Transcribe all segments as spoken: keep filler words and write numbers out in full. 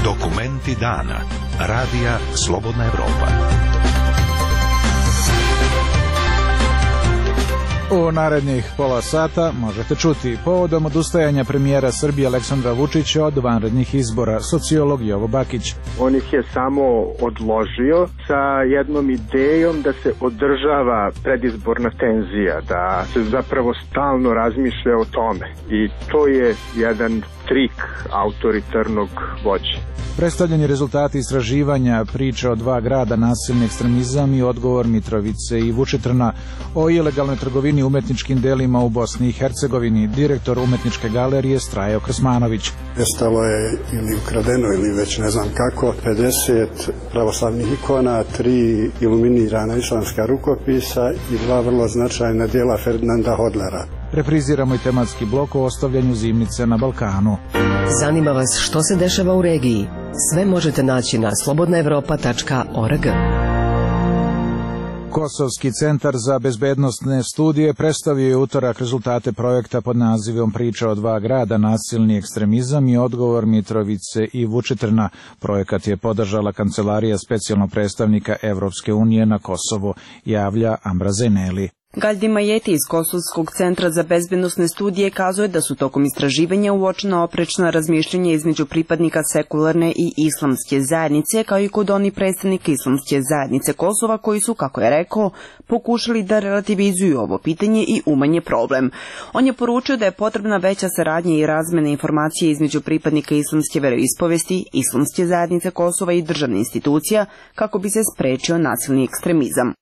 Dokumenti dana. Radija Slobodna Evropa. U narednih pola sata možete čuti povodom odustajanja premijera Srbije Aleksandra Vučića od vanrednih izbora, sociolog Jovo Bakić. On ih je samo odložio sa jednom idejom da se održava predizborna tenzija, da se zapravo stalno razmišlja o tome. I to je jedan trik autoritarnog vođe. Predstavljeni rezultati istraživanja priča o dva grada, nasilni ekstremizam i odgovor Mitrovice i Vučitrna, o ilegalnoj trgovini umetničkim delima u Bosni i Hercegovini, direktor umetničke galerije Strajo Krsmanović. Nestalo je ili ukradeno ili već ne znam kako, pedeset pravoslavnih ikona, tri iluminirana islamska rukopisa i dva vrlo značajna djela Ferdinanda Hodlera. Repriziramo i tematski blok o ostavljanju zimnice na Balkanu. Zanima vas što se dešava u regiji? Sve možete naći na slobodna evropa tačka org. Kosovski centar za bezbednosne studije predstavio je utorak rezultate projekta pod nazivom Priča o dva grada, nasilni ekstremizam i odgovor Mitrovice i Vučitrna. Projekat je podržala Kancelarija specijalnog predstavnika Evropske unije na Kosovu, javlja Ambra Zeneli. Galdi Majeti iz Kosovskog centra za bezbednosne studije kazuje da su tokom istraživanja uočena oprečna razmišljenja između pripadnika sekularne i islamske zajednice, kao i kod oni predstavnika islamske zajednice Kosova koji su, kako je rekao, pokušali da relativizuju ovo pitanje i umanje problem. On je poručio da je potrebna veća saradnja i razmena informacije između pripadnika islamske veroispovesti, islamske zajednice Kosova i državne institucija kako bi se sprečio nasilni ekstremizam.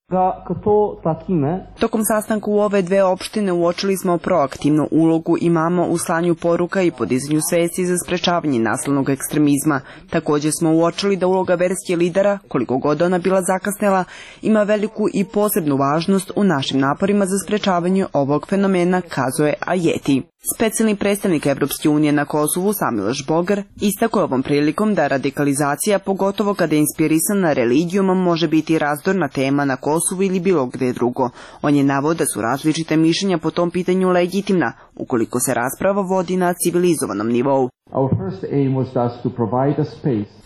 Tokom sastanka u ove dve opštine uočili smo proaktivnu ulogu imama u slanju poruka i podizanju svesti za sprečavanje nasilnog ekstremizma. Također smo uočili da uloga verskih lidera, koliko god ona bila zakasnela, ima veliku i posebnu važnost u našim naporima za sprečavanje ovog fenomena, kazuje Ajeti. Specijalni predstavnik Evropske unije na Kosovu Samiloš Bogar istakao ovom prilikom da radikalizacija, pogotovo kada je inspirisana religijom, može biti razdorna tema na Kosovu ili bilo gde drugo. On je naveo da su različite mišljenja po tom pitanju legitimna, ukoliko se rasprava vodi na civilizovanom nivou.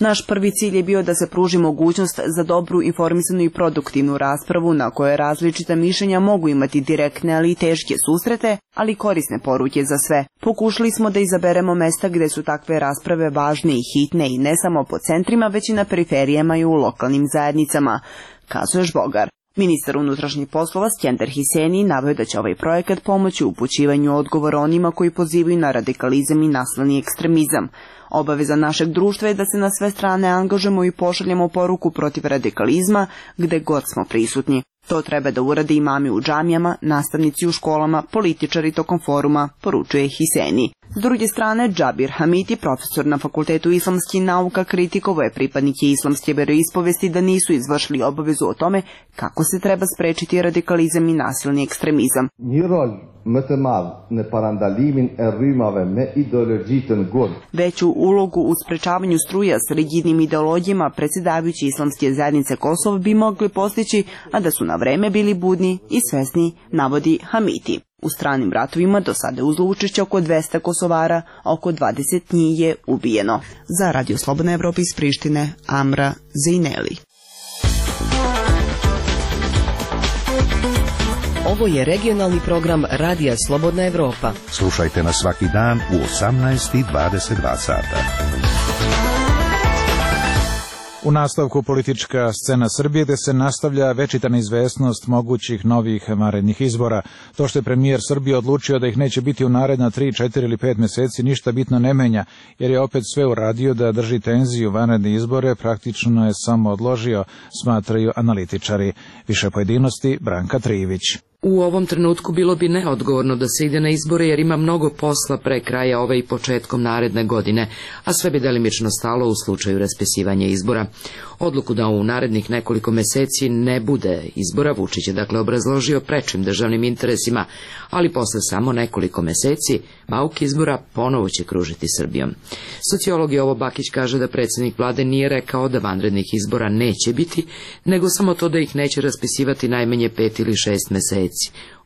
Naš prvi cilj je bio da se pruži mogućnost za dobru, informisanu i produktivnu raspravu na kojoj različita mišljenja mogu imati direktne, ali i teške susrete, ali korisne poruke za sve. Pokušali smo da izaberemo mesta gde su takve rasprave važne i hitne i ne samo po centrima, već i na periferijama i u lokalnim zajednicama, kazuje Bogar. Ministar unutrašnjih poslova Skender Hiseni naveo da će ovaj projekat pomoći u upućivanju odgovora onima koji pozivaju na radikalizam i nasilni ekstremizam. Obaveza našeg društva je da se na sve strane angažujemo i pošaljemo poruku protiv radikalizma gde god smo prisutni. To treba da urade imami u džamijama, nastavnici u školama, političari tokom foruma, poručuje Hiseni. S druge strane, Džabir Hamiti, profesor na Fakultetu islamskih nauka, kritikovao je pripadnike islamske veroispovesti da nisu izvršili obavezu o tome kako se treba sprečiti radikalizam i nasilni ekstremizam. Veću ulogu u sprečavanju struja s rigidnim ideologijama predsjedavajući islamske zajednice Kosova bi mogli postići, a da su na vreme bili budni i svesni, navodi Hamiti. U stranim ratovima do sada je uzelo učešće oko dvesta Kosovara, a oko dvadeset njih je ubijeno. Za Radio Slobodna Evropa iz Prištine, Amra Zejneli. Ovo je regionalni program Radija Slobodna Evropa. Slušajte nas svaki dan u osamnaest i dvadeset dva sata. U nastavku politička scena Srbije gde se nastavlja večita neizvesnost mogućih novih vanrednih izbora. To što je premijer Srbije odlučio da ih neće biti u naredna tri, četiri ili pet meseci ništa bitno ne menja, jer je opet sve uradio da drži tenziju vanredne izbore, praktično je samo odložio, smatraju analitičari. Više pojedinosti Branka Trivić. U ovom trenutku bilo bi neodgovorno da se ide na izbore jer ima mnogo posla pre kraja ove i početkom naredne godine, a sve bi delimično stalo u slučaju raspisivanja izbora. Odluku da u narednih nekoliko meseci ne bude izbora Vučić je dakle obrazložio prečim državnim interesima, ali posle samo nekoliko meseci bauk izbora ponovo će kružiti Srbijom. Sociolog Jovo Bakić kaže da predsjednik vlade nije rekao da vanrednih izbora neće biti, nego samo to da ih neće raspisivati najmanje pet ili šest meseci.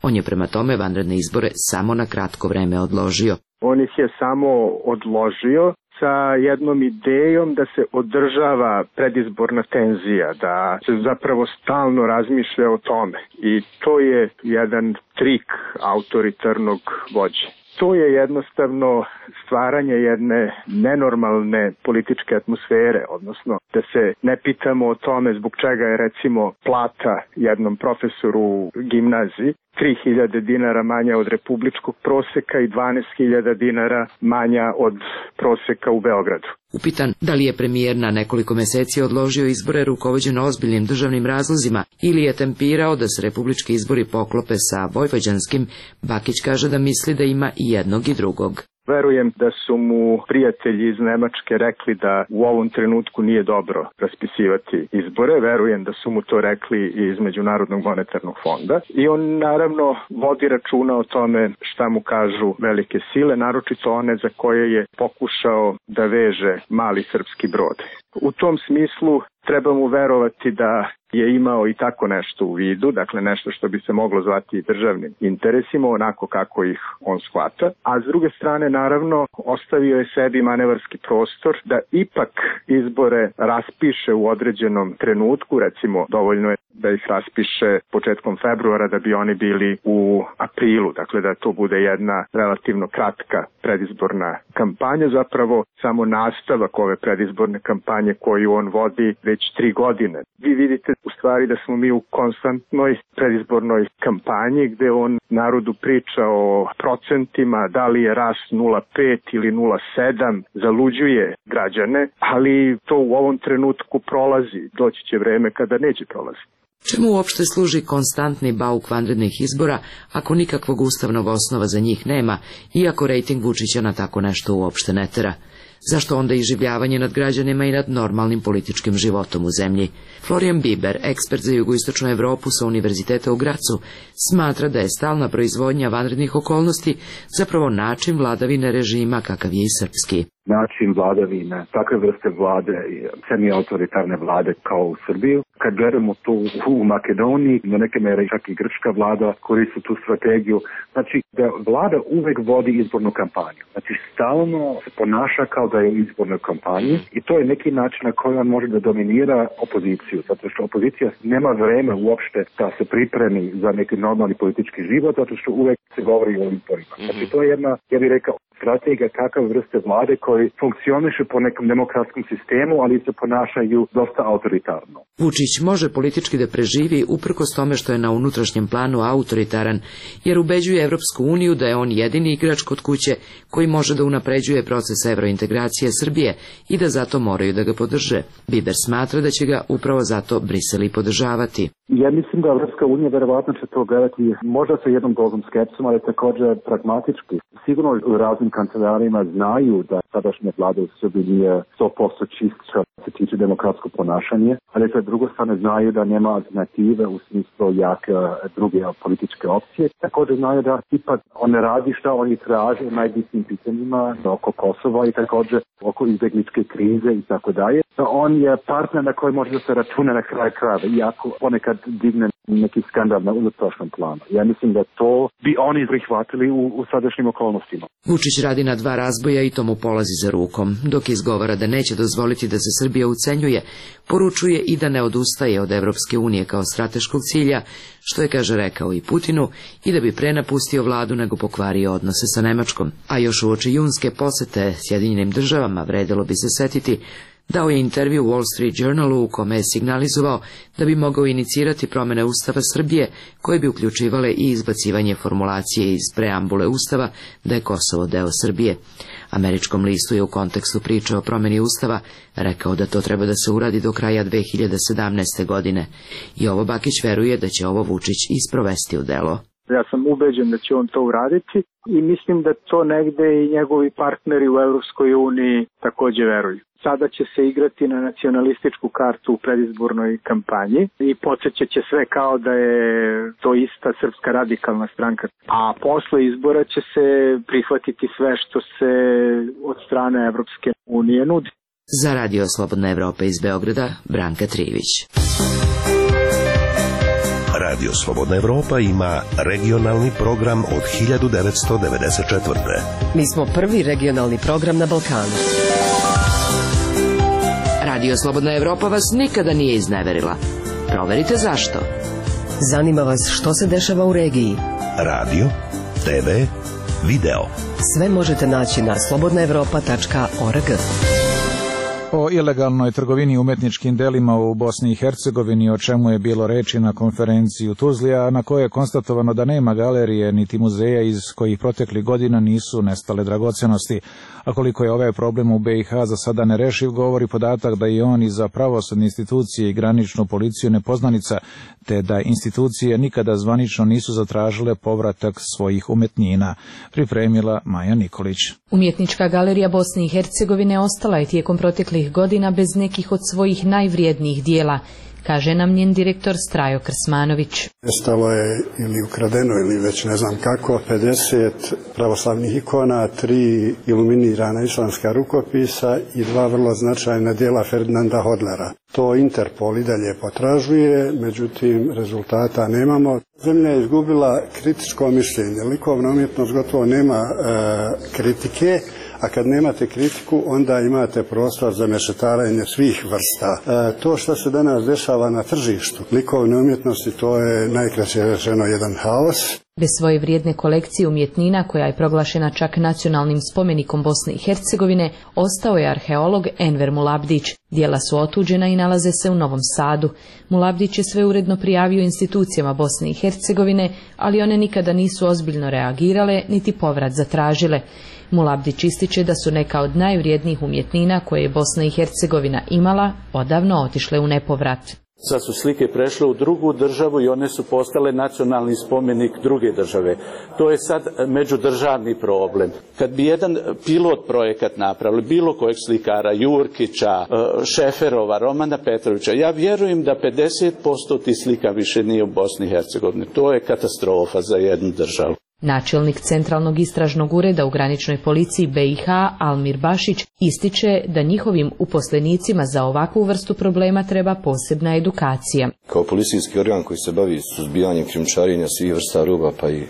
On je prema tome vanredne izbore samo na kratko vreme odložio. On ih je samo odložio sa jednom idejom da se održava predizborna tenzija, da se zapravo stalno razmišlja o tome. I to je jedan trik autoritarnog vođe. To je jednostavno stvaranje jedne nenormalne političke atmosfere, odnosno da se ne pitamo o tome zbog čega je recimo plata jednom profesoru u gimnaziji tri hiljade dinara manja od republičkog proseka i dvanaest hiljada dinara manja od proseka u Beogradu. Upitan da li je premijer na nekoliko meseci odložio izbore rukovođen ozbiljnim državnim razlozima ili je tempirao da se republički izbori poklope sa vojvođanskim, Bakić kaže da misli da ima i jednog i drugog. Verujem da su mu prijatelji iz Nemačke rekli da u ovom trenutku nije dobro raspisivati izbore. Verujem da su mu to rekli i iz Međunarodnog monetarnog fonda. I on naravno vodi računa o tome šta mu kažu velike sile, naročito one za koje je pokušao da veže mali srpski brod. U tom smislu treba mu verovati da je imao i tako nešto u vidu, dakle nešto što bi se moglo zvati državnim interesima, onako kako ih on shvata. A s druge strane, naravno, ostavio je sebi manevarski prostor da ipak izbore raspiše u određenom trenutku, recimo dovoljno je da ih raspiše početkom februara da bi oni bili u aprilu, dakle da to bude jedna relativno kratka predizborna kampanja, zapravo samo nastavak ove predizborne kampanje koju on vodi već tri godine. Vi vidite u stvari da smo mi u konstantnoj predizbornoj kampanji gde on narodu priča o procentima, da li je rast nula zarez pet ili nula zarez sedam, zaluđuje građane, ali to u ovom trenutku prolazi, doći će vreme kada neće prolaziti. Čemu uopšte služi konstantni bauk vanrednih izbora ako nikakvog ustavnog osnova za njih nema, iako rejting Vučića na tako nešto uopšte ne tera? Zašto onda iživljavanje nad građanima i nad normalnim političkim životom u zemlji? Florian Biber, ekspert za jugoistočnu Evropu sa Univerziteta u Gracu, smatra da je stalna proizvodnja vanrednih okolnosti zapravo način vladavine režima kakav je i srpski. Način vladavine, takve vrste vlade, semi-autoritarne vlade kao u Srbiju. Kad gledamo to u Makedoniji, na neke mere čak i grčka vlada koristi tu strategiju. Znači da vlada uvek vodi izbornu kampanju. Znači stalno se ponaša kao da je u izbornoj kampanji i to je neki način na koji on može da dominira opoziciju. Zato što opozicija nema vreme uopšte da se pripremi za neki normalni politički život, zato što uvek se govori o izborima. Znači to je jedna, ja bih rekao, strategija takav vrste vlade koji funkcioniše po nekom demokratskom sistemu, ali se ponašaju dosta autoritarno. Vučić može politički da preživi uprkos tome što je na unutrašnjem planu autoritaran, jer ubeđuje Evropsku uniju da je on jedini igrač kod kuće koji može da unapređuje proces evrointegracije Srbije i da zato moraju da ga podrže. Biber smatra da će ga upravo zato Brisel i podržavati. Ja mislim da Evropska unija verovatno će to gledati možda sa jednom dozom skepsom, ali također pragmatički. Sigurno u raznim kancelarima znaju da sadašnja vlada u Srbiji nije sto posto čist što se tiče demokratsko ponašanje, ali sa druge strane znaju da nema alternative u smislu jake druge političke opcije. Također znaju da ipak on ne radi šta oni traže u najbitnijim pitanjima oko Kosova i također oko izbjegličke krize i tako dalje. On je partner na koji može da se računa na kraj krajeva, iako ponekad digne neki skandal na unutrašnjem planu. Ja mislim da to bi oni prihvatili u, u sadašnjim okolnostima. Vučić radi na dva razboja i to mu polazi za rukom. Dok izgovara da neće dozvoliti da se Srbija ucenjuje, poručuje i da ne odustaje od Evropske unije kao strateškog cilja, što je, kaže, rekao i Putinu, i da bi pre napustio vladu nego pokvario odnose sa Nemačkom. A još uoči junske posete Sjedinjenim državama vredelo bi se setiti dao je intervju Wall Street Journalu u kome je signalizovao da bi mogao inicirati promene Ustava Srbije koje bi uključivale i izbacivanje formulacije iz preambule Ustava da je Kosovo deo Srbije. Američkom listu je u kontekstu priče o promeni Ustava rekao da to treba da se uradi do kraja dve hiljade sedamnaeste. godine. I ovo Bakić veruje da će ovo Vučić isprovesti u delo. Ja sam ubeđen da će on to uraditi i mislim da to negde i njegovi partneri u Evropskoj uniji takođe veruju. Sada će se igrati na nacionalističku kartu u predizbornoj kampanji i podsjećat će sve kao da je to ista Srpska radikalna stranka. A posle izbora će se prihvatiti sve što se od strane Evropske unije nudi. Za Radio Slobodna Evropa iz Beograda, Branka Trivić. Radio Slobodna Evropa ima regionalni program od hiljadu devetsto devedeset četvrte. Mi smo prvi regionalni program na Balkanu. Radio Slobodna Evropa vas nikada nije izneverila. Proverite zašto. Zanima vas što se dešava u regiji. Radio, te ve, video. Sve možete naći na slobodna evropa tačka org. O ilegalnoj trgovini umetničkim delima u Bosni i Hercegovini, o čemu je bilo reči na konferenciji u Tuzli, a na kojoj je konstatovano da nema galerije niti muzeja iz kojih proteklih godina nisu nestale dragocenosti. A koliko je ovaj problem u be i ha za sada nerešiv, govori podatak da je on i za pravosudne institucije i graničnu policiju nepoznanica, te da institucije nikada zvanično nisu zatražile povratak svojih umetnina. Pripremila Maja Nikolić. Umjetnička galerija Bosne i Hercegovine ostala je tijekom proteklih godina bez nekih od svojih najvrijednijih dijela, kaže nam njen direktor Strajo Krsmanović. Nestalo je ili ukradeno ili već ne znam kako pedeset pravoslavnih ikona, tri iluminirana islamska rukopisa i dva vrlo značajna dijela Ferdinanda Hodlera. To Interpol i dalje potražuje, međutim rezultata nemamo. Zemlja je izgubila kritičko mišljenje. Likovna umjetnost gotovo nema e, kritike, a kad nemate kritiku, onda imate prostor za mešetarenje svih vrsta. E, to što se danas dešava na tržištu likovne umjetnosti, to je najkraće rečeno jedan haos. Bez svoje vrijedne kolekcije umjetnina, koja je proglašena čak nacionalnim spomenikom Bosne i Hercegovine, ostao je arheolog Enver Mulabdić. Dijela su otuđena i nalaze se u Novom Sadu. Mulabdić je sve uredno prijavio institucijama Bosne i Hercegovine, ali one nikada nisu ozbiljno reagirale, niti povrat zatražile. Mulabdić ističe da su neka od najvrijednijih umjetnina koje je Bosna i Hercegovina imala odavno otišle u nepovrat. Sad su slike prešle u drugu državu i one su postale nacionalni spomenik druge države. To je sad međudržavni problem. Kad bi jedan pilot projekat napravili, bilo kojeg slikara, Jurkića, Šeferova, Romana Petrovića, ja vjerujem da pedeset posto tih slika više nije u Bosni i Hercegovini. To je katastrofa za jednu državu. Načelnik Centralnog istražnog ureda u graničnoj policiji be i ha Almir Bašić ističe da njihovim uposlenicima za ovakvu vrstu problema treba posebna edukacija. Kao policijski organ koji se bavi suzbijanjem krijumčarenja svih vrsta roba pa i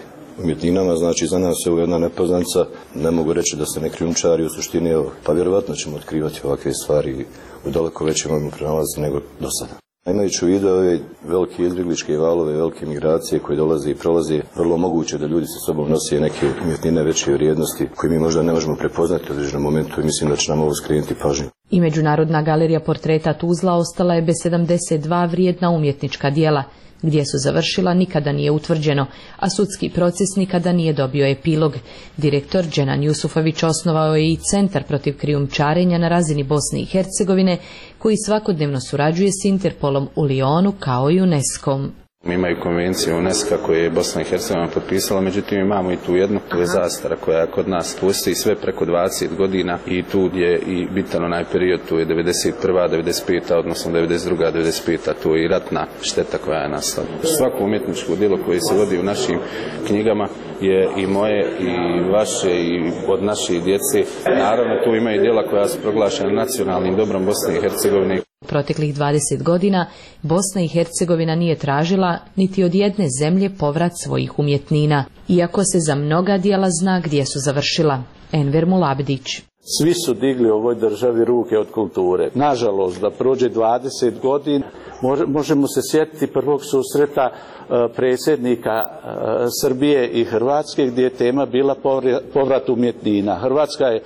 umjetninama, znači za nas je ovo jedna nepoznanica, ne mogu reći da se ne krijumčari u suštini, pa vjerovatno ćemo otkrivati ovakve stvari u daleko većem obimu pronalazi nego do sada. Imajući u vidu ove velike izbjegličke valove, velike migracije koje dolaze i prolaze, vrlo moguće da ljudi sa sobom nose neke umjetnine veće vrijednosti koje mi možda ne možemo prepoznati u određenom momentu i mislim da će nam ovo skrenuti pažnju. I Međunarodna galerija portreta Tuzla ostala je bez sedamdeset dva vrijedna umjetnička dijela. Gdje su završila nikada nije utvrđeno, a sudski proces nikada nije dobio epilog. Direktor Dženan Jusufović osnovao je i Centar protiv krijumčarenja na razini Bosne i Hercegovine, koji svakodnevno surađuje s Interpolom u Lionu kao i UNESCO-om. Imaju konvenciju UNESCO koju je Bosna i Hercegovina potpisala, međutim imamo i tu jednu, to je zastara koja kod nas postoji sve preko dvadeset godina i tu je i bitan onaj period, tu je devedeset prva, devedeset peta, odnosno devedeset druga, devedeset peta, tu je i ratna šteta koja je nastala. Svako umjetničko djelo koje se vodi u našim knjigama je i moje i vaše i od naše djece. Naravno tu imaju djela koja su proglašena nacionalnim dobrom Bosne i Hercegovine. Proteklih dvadeset godina Bosna i Hercegovina nije tražila niti od jedne zemlje povrat svojih umjetnina, iako se za mnoga djela zna gdje su završila. Enver Mulabdić. Svi su digli u ovoj državi ruke od kulture. Nažalost, da prođe dvadeset godina, možemo se sjetiti prvog susreta predsjednika Srbije i Hrvatske, gdje je tema bila povrat umjetnina. Hrvatska je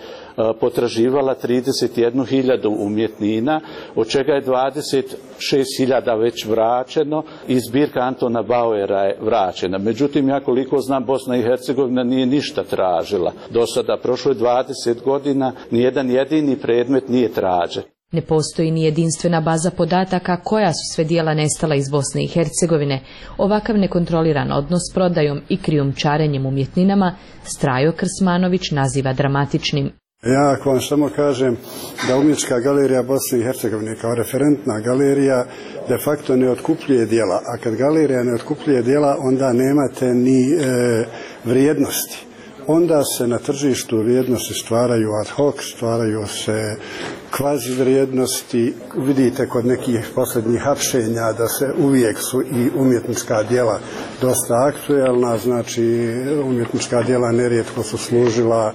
potraživala trideset jednu hiljadu umjetnina, od čega je dvadeset šest hiljada već vraćeno i zbirka Antona Bauera je vraćena. Međutim, ja koliko znam, Bosna i Hercegovina nije ništa tražila. Do sada prošlo je dvadeset godina, nijedan jedini predmet nije tražen. Ne postoji ni jedinstvena baza podataka koja su sve dijela nestala iz Bosne i Hercegovine. Ovakav nekontroliran odnos s prodajom i krijumčarenjem umjetninama Strajo Krsmanović naziva dramatičnim. Ja ako vam samo kažem da Umjetnička galerija Bosne i Hercegovine kao referentna galerija de facto ne otkupljuje djela, a kad galerija ne otkupljuje djela onda nemate ni e, vrijednosti. onda se na tržištu vrijednosti stvaraju ad hoc, stvaraju se kvazi vrijednosti. Vidite kod nekih posljednjih hapšenja da se uvijek su i umjetnička djela dosta aktuelna, znači umjetnička djela nerijetko su služila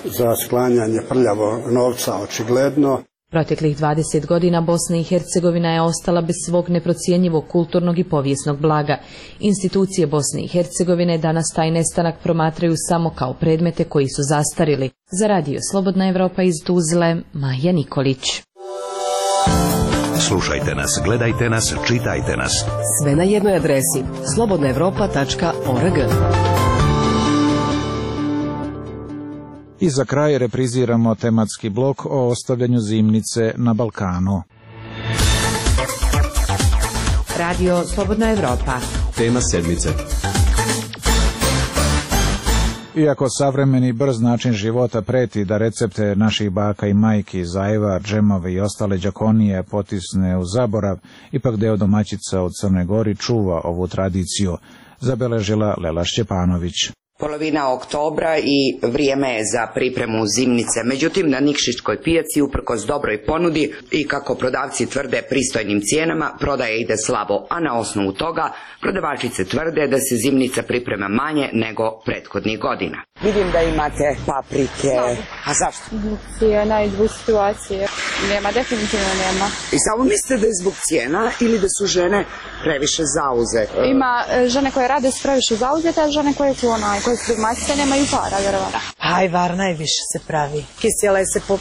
za sklanjanje prljavo novca, očigledno. Proteklih dvadeset godina Bosna i Hercegovina je ostala bez svog neprocijenjivog kulturnog i povijesnog blaga. Institucije Bosne i Hercegovine danas taj nestanak promatraju samo kao predmete koji su zastarili. Za radio Slobodna Evropa iz Tuzle, Maja Nikolić. Slušajte nas, gledajte nas, čitajte nas. Sve na jednoj adresi slobodna evropa tačka org. I za kraj repriziramo tematski blok o ostavljanju zimnice na Balkanu. Radio Slobodna Evropa. Tema sedmice. Iako savremeni brz način života preti da recepte naših baka i majki, zajva, džemove i ostale đakonije potisne u zaborav, ipak deo domaćica u Crnoj Gori čuva ovu tradiciju, zabeležila Lela Šćepanović. Polovina oktobra i vrijeme je za pripremu zimnice. Međutim, na Nikšićkoj pijaci, uprkos dobroj ponudi i kako prodavci tvrde pristojnim cijenama, prodaja ide slabo, a na osnovu toga prodavačice tvrde da se zimnica priprema manje nego prethodnih godina. Vidim da imate paprike. A zašto? Zbog cijena i zbog situacije. Nema, definitivno nema. I samo mislite da je zbog cijena ili da su žene previše zauzete? Ima žene koje rade su previše zauzete, a žene koje su onaj, koje su domaćice nemaju para, vjerovatno. Ajvar najviše se pravi. Kisjele se po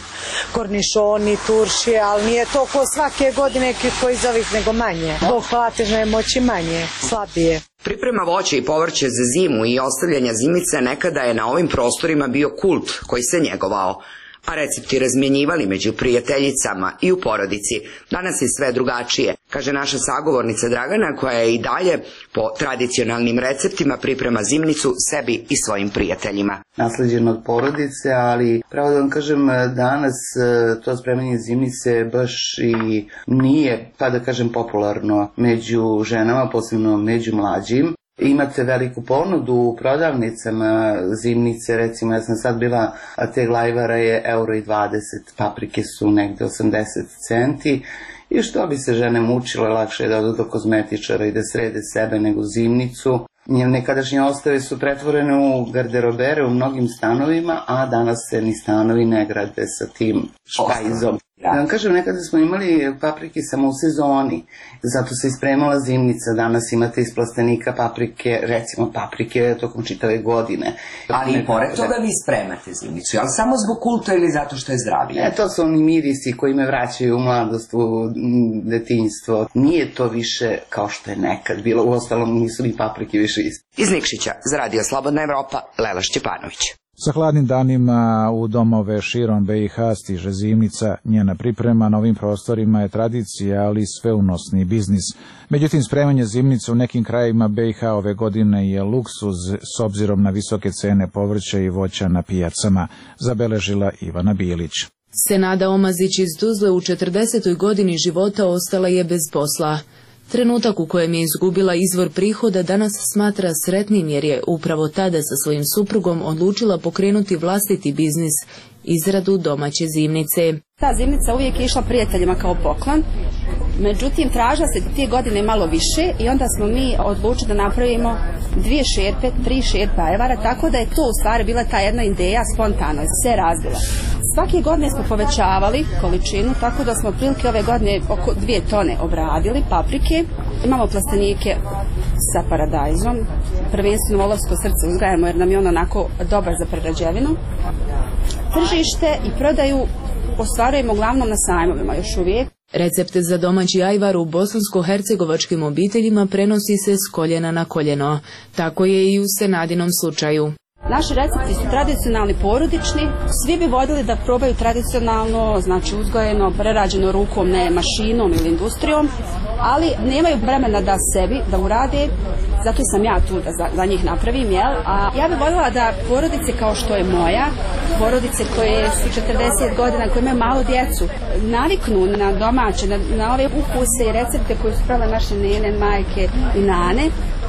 kornišoni, turšije, ali nije to ko svake godine koji iz ovih nego manje. Zbog platežne moći manje, slabije. Priprema voće i povrće za zimu i ostavljanja zimnice nekada je na ovim prostorima bio kult koji se njegovao, a recepti razmjenjivali među prijateljicama i u porodici. Danas je sve drugačije, kaže naša sagovornica Dragana, koja je i dalje po tradicionalnim receptima priprema zimnicu sebi i svojim prijateljima. Nasleđeno od porodice, ali pravo da vam kažem, danas to spremanje zimnice baš i nije, pa da kažem, popularno među ženama, posebno među mlađim. Imate veliku ponudu u prodavnicama zimnice, recimo ja sam sad bila, a te glajvara je euro i dvadeset, paprike su negde osamdeset centi i što bi se žene mučile, lakše je da odu do kozmetičara i da srede sebe nego zimnicu. Nekadašnje ostave su pretvorene u garderobere u mnogim stanovima, a danas se ni stanovi ne grade sa tim špajzom. Da vam kažem, nekada smo imali paprike samo u sezoni, zato se ispremala zimnica, danas imate iz plastenika paprike, recimo paprike tokom čitave godine. Ali i pored toga vi spremate zimnicu, ali samo zbog kulta ili zato što je zdravije? E, to su oni mirisi koji me vraćaju u mladost, u detinjstvo. Nije to više kao što je nekad bilo, uostalom nisu ni paprike više isti. Iz Nikšića, za Radio Slobodna Evropa, Lela Šćepanović. Sa hladnim danima u domove širom B i H stiže zimnica. Njena priprema na ovim prostorima je tradicija, ali sveunosni biznis. Međutim, spremanje zimnice u nekim krajevima B i H ove godine je luksuz s obzirom na visoke cene povrća i voća na pijacama, zabeležila Ivana Bilić. Senada Omazić iz Tuzle u četrdesetoj godini života ostala je bez posla. Trenutak u kojem je izgubila izvor prihoda danas smatra sretnim jer je upravo tada sa svojim suprugom odlučila pokrenuti vlastiti biznis, izradu domaće zimnice. Ta zimnica uvijek je išla prijateljima kao poklon, međutim tražila se te godine malo više i onda smo mi odlučili da napravimo dvije šerpe, tri šerpe ajvara, tako da je to u stvari bila ta jedna ideja spontano, se razvila. Svake godine smo povećavali količinu, tako da smo otprilike ove godine oko dvije tone obradili paprike. Imamo plastenike sa paradajzom, prvenstveno volovsko srce uzgajamo jer nam je on onako dobar za prerađevinu. Tržište i prodaju ostvarujemo uglavnom na sajmovima još uvijek. Recepte za domaći ajvar u bosansko-hercegovačkim obiteljima prenosi se s koljena na koljeno. Tako je i u Senadinom slučaju. Naši recepti su tradicionalni, porodični, svi bi voljeli da probaju tradicionalno, znači uzgojeno, prerađeno rukom, ne mašinom ili industrijom, ali nemaju vremena da sebi, da urade, zato sam ja tu da za, za njih napravim, jel? A ja bih voljela da porodice kao što je moja, porodice koje su četrdeset godina, koje imaju malo djecu, naviknu na domaće, na, na ove ukuse i recepte koje su pravile naše nene, majke i nane,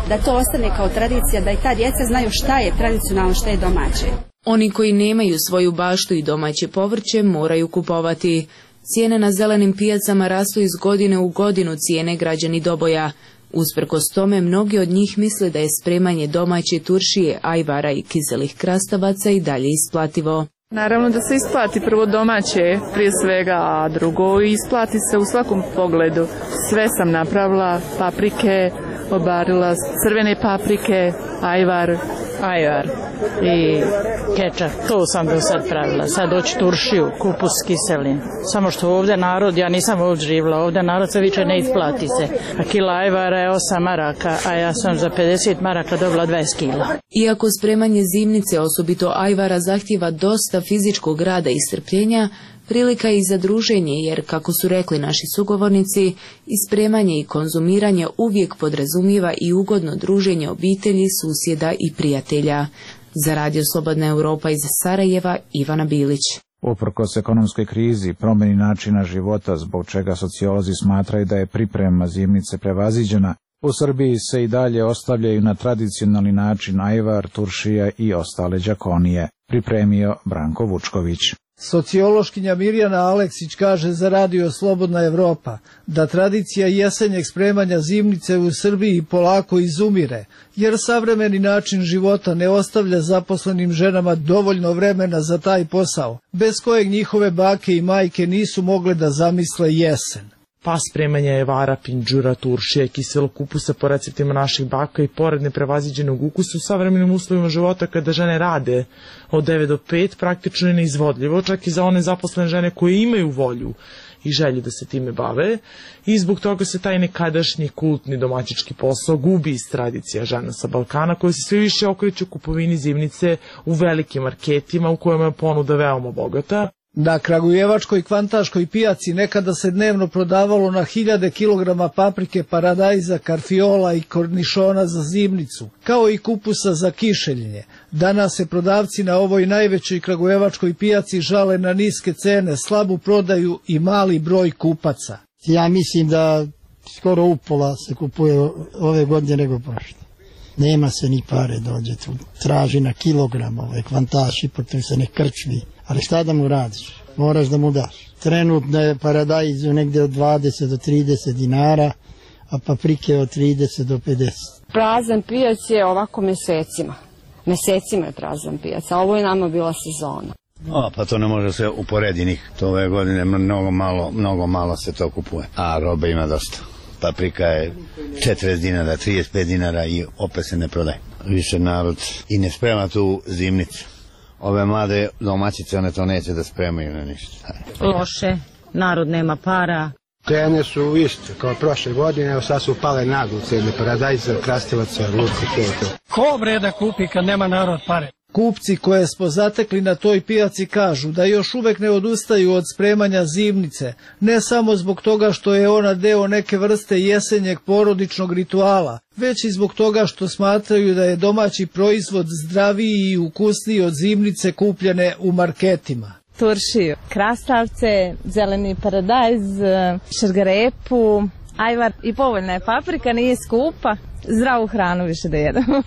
da to ostane kao tradicija, da i ta djeca znaju šta je tradicionalno, šta je domaće. Oni koji nemaju svoju baštu i domaće povrće moraju kupovati. Cijene na zelenim pijacama rastu iz godine u godinu, cijene građani Doboja. Usprkos tome, mnogi od njih misle da je spremanje domaće turšije, ajvara i kiselih krastavaca i dalje isplativo. Naravno da se isplati prvo domaće, prije svega, a drugo isplati se u svakom pogledu. Sve sam napravila, paprike, obarila, crvene paprike, ajvar, ajvar i kečap. To sam do sad pravila. Sad doći turšiju, kupus kiselin. Samo što ovdje narod, ja nisam ovdje živjela, ovdje narod se više ne isplati se. A kila ajvara je osam maraka, a ja sam za pedeset maraka dobila dvadeset kila. Iako spremanje zimnice, osobito ajvara, zahtjeva dosta fizičkog rada i strpljenja, prilika je i za druženje, jer, kako su rekli naši sugovornici, ispremanje i konzumiranje uvijek podrazumijeva i ugodno druženje obitelji, susjeda i prijatelja. Za Radio Slobodna Europa iz Sarajeva, Ivana Bilić. Uprkos ekonomskoj krizi, promjeni načina života, zbog čega sociolozi smatraju da je priprema zimnice prevaziđena, u Srbiji se i dalje ostavljaju na tradicionalni način ajvar, turšija i ostale đakonije, pripremio Branko Vučković. Sociološkinja Mirjana Aleksić kaže za Radio Slobodna Evropa da tradicija jesenjeg spremanja zimnice u Srbiji polako izumire, jer savremeni način života ne ostavlja zaposlenim ženama dovoljno vremena za taj posao, bez kojeg njihove bake i majke nisu mogle da zamisle jesen. Pa spremanja evara, pinđura, turšije, kiselog kupusa po receptima naših baka i pored neprevaziđenog ukusa u savremenim uslovima života kada žene rade od devet do pet praktično je neizvodljivo, čak i za one zaposlene žene koje imaju volju i želju da se time bave i zbog toga se taj nekadašnji kultni domaćički posao gubi iz tradicija žena sa Balkana koje se sve više okreću kupovini zimnice u velikim marketima u kojima je ponuda veoma bogata. Na kragujevačkoj kvantaškoj pijaci nekada se dnevno prodavalo na hiljade kilograma paprike, paradajza, karfiola i kornišona za zimnicu, kao i kupusa za kišeljenje. Danas se prodavci na ovoj najvećoj kragujevačkoj pijaci žale na niske cene, slabu prodaju i mali broj kupaca. Ja mislim da skoro upola se kupuje ove godine nego prošle. Nema se ni pare dođe tu. Traži na kilogram ove kvantaši, potom se ne krčvi. Ali šta da mu radiš? Moraš da mu daš. Trenutno je paradajz negde od dvadeset do trideset dinara, a paprike od trideset do pedeset. Prazan pijac je ovako mesecima. Mesecima je prazan pijac, a ovo je nama bila sezona. O, pa to ne može se uporedi nikak. To ove godine mnogo malo, mnogo malo se to kupuje. A robe ima dosta. Paprika je četrdeset dinara, trideset pet dinara i opet se ne prodaje. Više narod i ne sprema tu zimnicu. Ove mlade domaćice, one to neće da spremaju na ništa. Loše, narod nema para. Cene su iste kao prošle godine, evo sad su pale naglo cene paradajza, krastavaca, luka, to. Ko bre da kupi kad nema narod pare? Kupci koje smo zatekli na toj pijaci kažu da još uvek ne odustaju od spremanja zimnice, ne samo zbog toga što je ona deo neke vrste jesenjeg porodičnog rituala, već i zbog toga što smatraju da je domaći proizvod zdraviji i ukusniji od zimnice kupljene u marketima. Turšiju, krastavce, zeleni paradajz, šargarepu, ajvar i povoljna je paprika, nije skupa, zdravu hranu više da jedemo.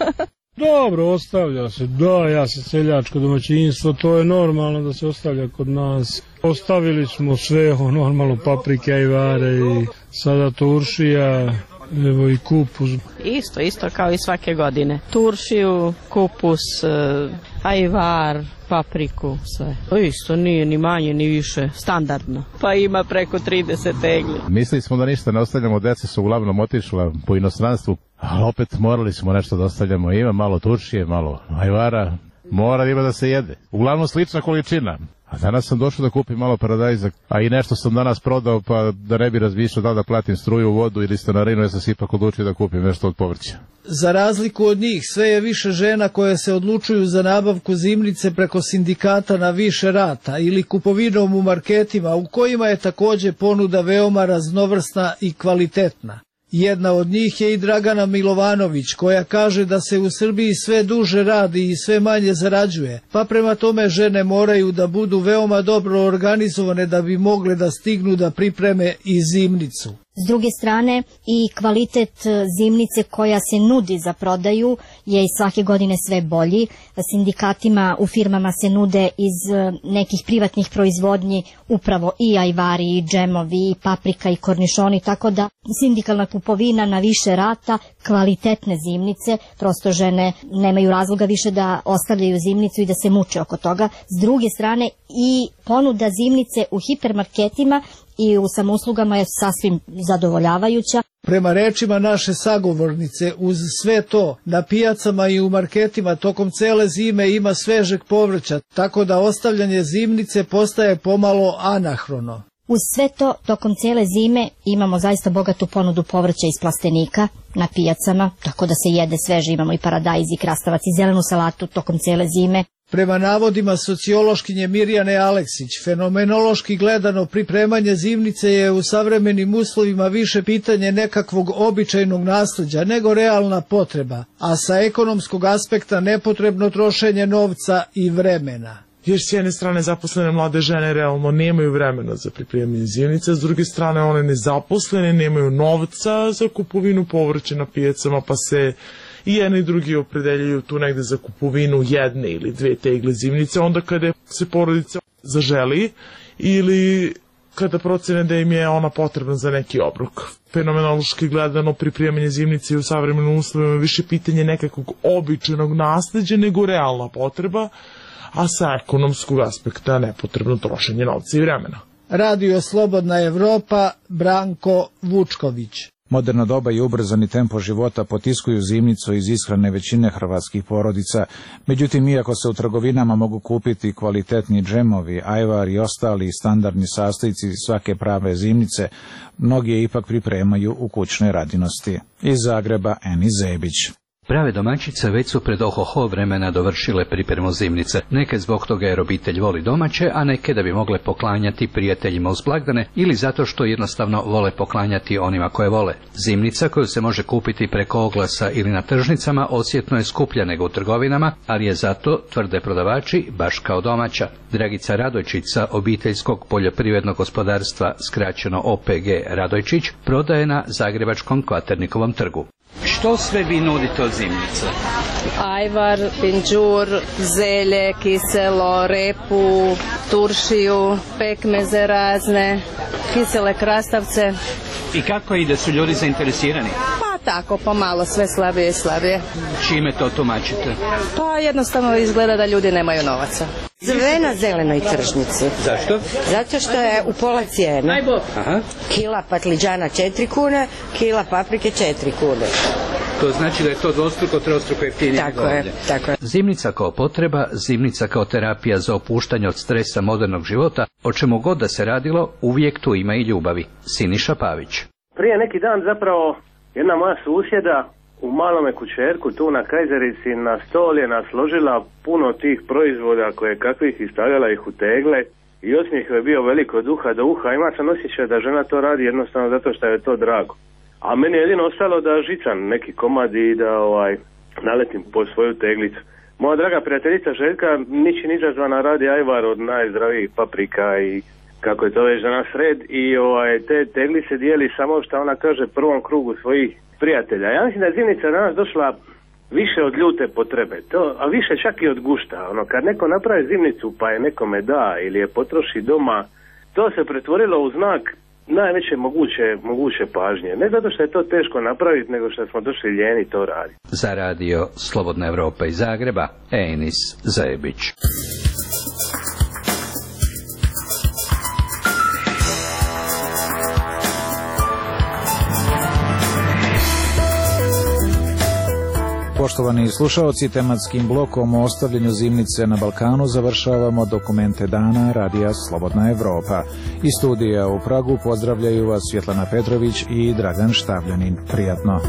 Dobro, ostavlja se, da, ja sam seljačko domaćinstvo, to je normalno da se ostavlja kod nas. Ostavili smo sve, normalno, paprike, ajvare i sada turšija, evo i kupus. Isto, isto kao i svake godine. Turšiju, kupus, ajvar, papriku, sve. To isto nije ni manje ni više, standardno. Pa ima preko trideset tegli. Mislili smo da ništa ne ostavljamo, deca su uglavnom otišla po inostranstvu, ali opet morali smo nešto da ostavljamo. Ima malo turšije, malo ajvara, mora ima da se jede. Uglavnom slična količina. A danas sam došao da kupim malo paradajza, a i nešto sam danas prodao, pa da ne bi razmišljao da da platim struju, vodu ili stanarinu, ja sam se ipak odlučio da kupim nešto od povrća. Za razliku od njih, sve je više žena koje se odlučuju za nabavku zimnice preko sindikata na više rata ili kupovinom u marketima, u kojima je takođe ponuda veoma raznovrsna i kvalitetna. Jedna od njih je i Dragana Milovanović, koja kaže da se u Srbiji sve duže radi i sve manje zarađuje, pa prema tome žene moraju da budu veoma dobro organizovane da bi mogle da stignu da pripreme i zimnicu. S druge strane i kvalitet zimnice koja se nudi za prodaju je i svake godine sve bolji. Sindikatima u firmama se nude iz nekih privatnih proizvodnji upravo i ajvari, i džemovi, i paprika, i kornišoni, tako da sindikalna kupovina na više rata, kvalitetne zimnice, prosto žene nemaju razloga više da ostavljaju zimnicu i da se muče oko toga. S druge strane i ponuda zimnice u hipermarketima i u samouslugama je sasvim zadovoljavajuća. Prema rečima naše sagovornice, uz sve to, na pijacama i u marketima tokom cele zime ima svežeg povrća, tako da ostavljanje zimnice postaje pomalo anahrono. Uz sve to, tokom cele zime imamo zaista bogatu ponudu povrća iz plastenika na pijacama, tako da se jede sveže, imamo i paradajz, i krastavac, i zelenu salatu tokom cele zime. Prema navodima sociološkinje Mirjane Aleksić, fenomenološki gledano pripremanje zimnice je u savremenim uslovima više pitanje nekakvog običajnog nasleđa nego realna potreba, a sa ekonomskog aspekta nepotrebno trošenje novca i vremena. Jer s jedne strane zaposlene mlade žene realno nemaju vremena za pripremanje zimnice, s druge strane one nezaposlene nemaju novca za kupovinu povrća na pijacama, pa se i jedni i drugi opredeljuju tu negde za kupovinu jedne ili dve tegle zimnice, onda kada se porodica zaželi ili kada procene da im je ona potrebna za neki obrok. Fenomenološki gledano pripremanje zimnice u savremenim uslovima više pitanje nekakvog običajnog nasleđa nego realna potreba, a sa ekonomskog aspekta nepotrebno trošenje novca i vremena. Radio Slobodna Evropa, Branko Vučković. Moderno doba i ubrzani tempo života potiskuju zimnicu iz ishrane većine hrvatskih porodica. Međutim, iako se u trgovinama mogu kupiti kvalitetni džemovi, ajvar i ostali standardni sastojci svake prave zimnice, mnogi je ipak pripremaju u kućnoj radinosti. Iz Zagreba, Eni Zebić. Prave domaćice već su pred ohoho vremena dovršile pripremu zimnice. Neke zbog toga jer obitelj voli domaće, a neke da bi mogle poklanjati prijateljima uz blagdane ili zato što jednostavno vole poklanjati onima koje vole. Zimnica koju se može kupiti preko oglasa ili na tržnicama osjetno je skuplja nego u trgovinama, ali je zato, tvrde prodavači, baš kao domaća. Dragica Radojčica, obiteljskog poljoprivrednog gospodarstva, skraćeno O P G Radojčić, prodaje na Zagrebačkom Kvaternikovom trgu. Što sve vi nudite od zimnice? Ajvar, pinđur, zelje, kiselo, repu, turšiju, pekmeze razne, kisele krastavce. I kako ide, su ljudi zainteresirani? Pa tako, pomalo, sve slabije i slabije. Čime to tumačite? Pa jednostavno izgleda da ljudi nemaju novaca. Sve na zelenoj tržnici. Zašto? Zato što je u pola cijene. Aha. Kila patliđana četiri kune, kila paprike četiri kune. To znači da je to dvostruko, trostruko jeftinije. Tako je, tako je. Zimnica kao potreba, zimnica kao terapija za opuštanje od stresa modernog života, o čemu god da se radilo, uvijek tu ima i ljubavi. Siniša Pavić. Prije neki dan zapravo jedna moja susjeda u malome kućerku tu na Kajzerici na stol je nasložila puno tih proizvoda koje kakvih i stavljala ih u tegle i osmijeh je bio veliko od uha do uha. Ima sam osjećaj da žena to radi jednostavno zato što je to drago. A meni je jedino ostalo da žicam neki komad i da ovaj, naletim po svoju teglicu. Moja draga prijateljica Željka ničim izazvana radi ajvar od najzdravijih paprika i kako je to već danas red i ovaj, te teglice dijeli samo što ona kaže prvom krugu svojih prijatelja. Ja mislim da je zimnica danas došla više od ljute potrebe, to, a više čak i od gušta. Ono, kad neko napravi zimnicu pa je nekome da ili je potroši doma, to se pretvorilo u znak najveće moguće, moguće pažnje. Ne zato što je to teško napraviti, nego što smo došli ljeni to raditi. Za radio Slobodna Evropa iz Zagreba, Enis Zebić. Poštovani slušaoci, tematskim blokom o ostavljanju zimnice na Balkanu završavamo dokumente dana radija Slobodna Evropa. Iz studija u Pragu pozdravljaju vas Svjetlana Petrović i Dragan Štavljanin. Prijatno.